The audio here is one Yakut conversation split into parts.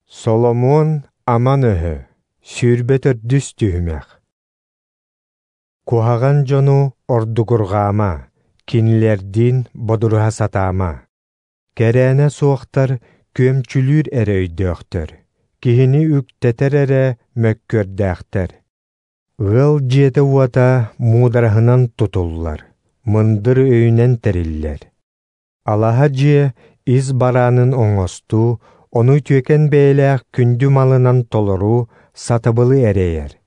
Соломуон аман өһө, 24 түһүмэх. Куһаҕан дьону ордугурҕаама, кинилэрдиин бодоруһа сатаама. Кэрээнэ суохтар күөмчүлүүр эрэ өйдөөхтөр, киһини үктэтэр эрэ мөккүөрдээхтэр. Ыал дьиэтэ-уота муудараһынан тутуллар, мындыр өйүнэн тэриллэр. Алаһа дьиэ ис бараанын оҥостуу, ону үтүөкэн бэйэлээх күндү малынан толоруу сатабылы эрэйэр.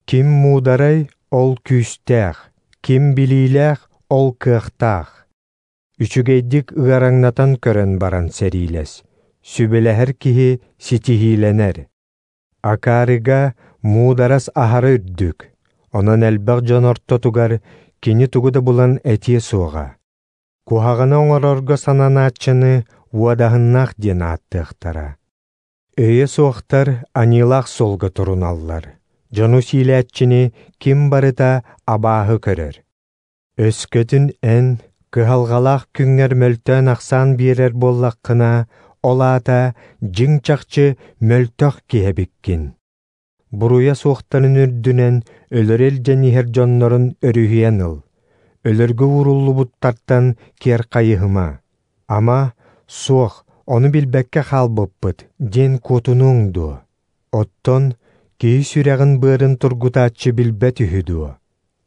Ким муударай, ол күүстээх, ким билиилээх, ол кыахтаах. Үчүгэйдик ыараҥнатан көрөн баран сэриилэс, сүбэлэһэр киһи ситиһиилэнэр. Акаарыга муударас аһара үрдүк, онон элбэх дьон ортотугар кини тугу да булан этиэ суоҕа. Куһаҕаны оҥорорго сананааччыны уодаһыннаах диэн ааттыахтара. Өйө суохтар аньыылаах суолга туруналлар, дьону сиилээччини ким барыта абааһы көрөр. Өскөтүн эн кыһалҕалаах күҥҥэр мөлтөөн-ахсаан биэрэр буоллаххына, ол аата дьиҥ-чахчы мөлтөх киһи эбиккин. Буруйа суохтарын үрдүнэн өлөрө илдьэн иһэр дьоннорун өрүһүйэн ыл, өлөргө ууруллубуттартан киэр хайыһыма. Ама, суох, ону билбэккэ хаалбыппыт диэн куотунуоҥ дуо? Оттон киһи сүрэҕин быарын тургутааччы билбэт үһү дуо?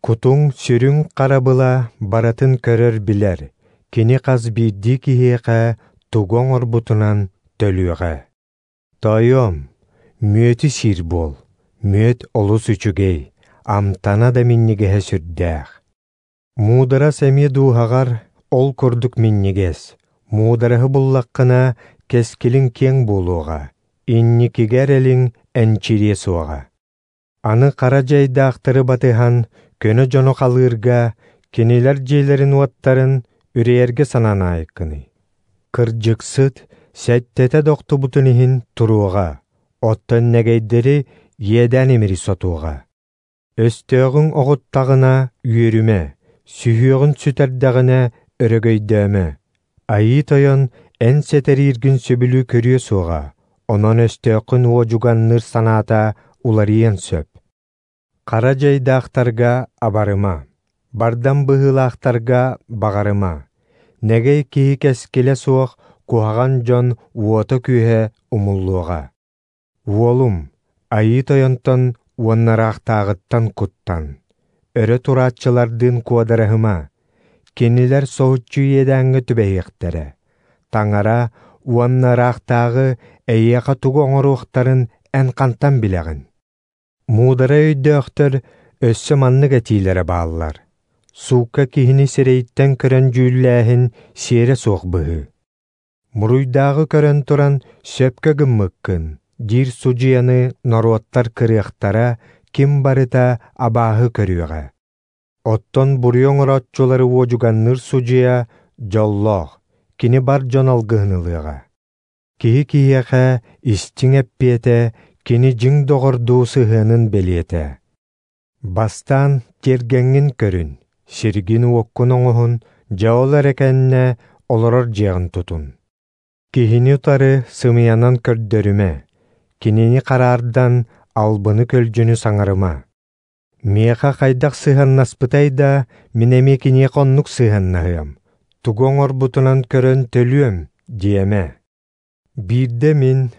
Кутуҥ сүрүҥ харабыла барытын көрөр-билэр, кини хас биирдии киһиэхэ тугу оҥорбутунан төлүөҕэ. Тоойуом, мүөтү сиир буол, мүөт олус үчүгэй, амтана да минньигэһэ сүрдээх. Муударас эмиэ дууһаҕар ол курдук минньигэс, муудараһы буллаххына кэскилиҥ киэҥ буолуоҕа, инникигэ эрэлиҥ энчириэ суоҕа. Аны хара дьайдаахтары батыһан, көнө дьону халыырга, кинилэр дьиэлэрин-уоттарын үрэйэргэ сананаайыккыный. Кырдьыксыт сэттэтэ да охтубутун иһин туруоҕа, оттон нэгэйдэри иэдээн имири сотуоҕа. Өстөөҕүҥ оҕуттаҕына үөрүмэ, сүһүөҕүн сүтэрдэҕинэ өрөгөйдөөмө. Айыы Тойон эн сэтэрииргин сөбүлүү көрүө суоҕа, онон өстөөххүн уодьуганныыр санаата уларыйыан сөп. Хара дьайдаахтарга абарыма, бардам быһыылаахтарга баҕарыма. Нэгэй киһи кэскилэ суох куһаҕан дьон уота-күүһэ умуллуоҕа. Уолум, Айыы Тойонтон уонна ыраахтааҕыттан куттан, өрө турааччылардыын куодарыһыма, кинилэр соһуччу иэдээҥҥэ түбэһиэхтэрэ. Таҥара уонна ыраахтааҕы эйиэхэ тугу оҥоруохтарын эн хантан билэҕин? Муударай өйдөөхтөр өссө маннык этиилэрэ бааллар. Суукка киһини сирэйиттэн көрөн дьүүллээһин сиэрэ суох быһыы. Муруйдааҕы көрөн туран сөпкө гыммыккын диир судьуйаны норуоттар кырыахтара, ким барыта абааһы көрүөҕэ. Оттон буруйу оҥорооччулары уодьуганныыр судьуйа дьоллоох, кини бар дьон алгыһын ылыаҕа. Киһи киһиэхэ истиҥ эппиэтэ кини дьиҥ доҕордуу сыһыанын бэлиэтэ. Бастаан тиэргэҥҥин көрүн, сиргин-уоккун оҥоһун, дьэ ол эрэ кэннэ олорор дьиэҕин тутун. Киһини утары сымыйанан көрдөрүмэ, кинини хараардан албыны-көлдьүнү саҥарыма. Миэхэ хайдах сыһыаннаспытай да, мин эмиэ киниэхэ оннук сыһыаннаһыам, тугу оҥорбутунан көрөн төлүөм диэмэ. Биирдэ мин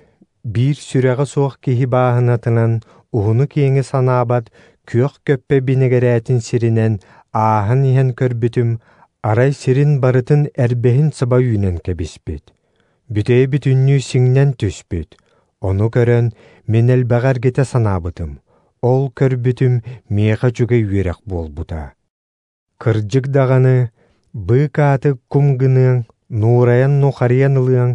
биир сүрэҕэ суох киһи бааһынатынан уһуну-киэҥи санаабат күөх көппө бинэгэрээтин сиринэн ааһан иһэн көрбүтүм, арай сирин барытын эрбэһин саба үүнэн кэбиспит. Бүтэйи бүтүннүү сиҥнэн түспүт. Ону көрөн мин элбэҕи эргитэ санаабытым. Ол көрбүтүм миэхэ үчүгэй үөрэх буолбута. Кырдьык даҕаны, быыкааты кум гыныаҥ, нуурайан-нухарыйан ылыаҥ,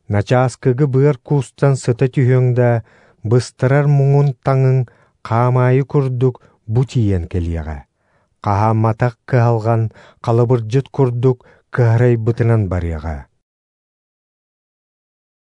начааскыгы быар куустан сыта түһүөҥ да, быстарар муҥун таҥыҥ хаамаайы курдук бу тиийэн кэлиэҕэ. Хаһаамматах кыһалҕан халабырдьыт курдук кыһарайбытынан барыаҕа.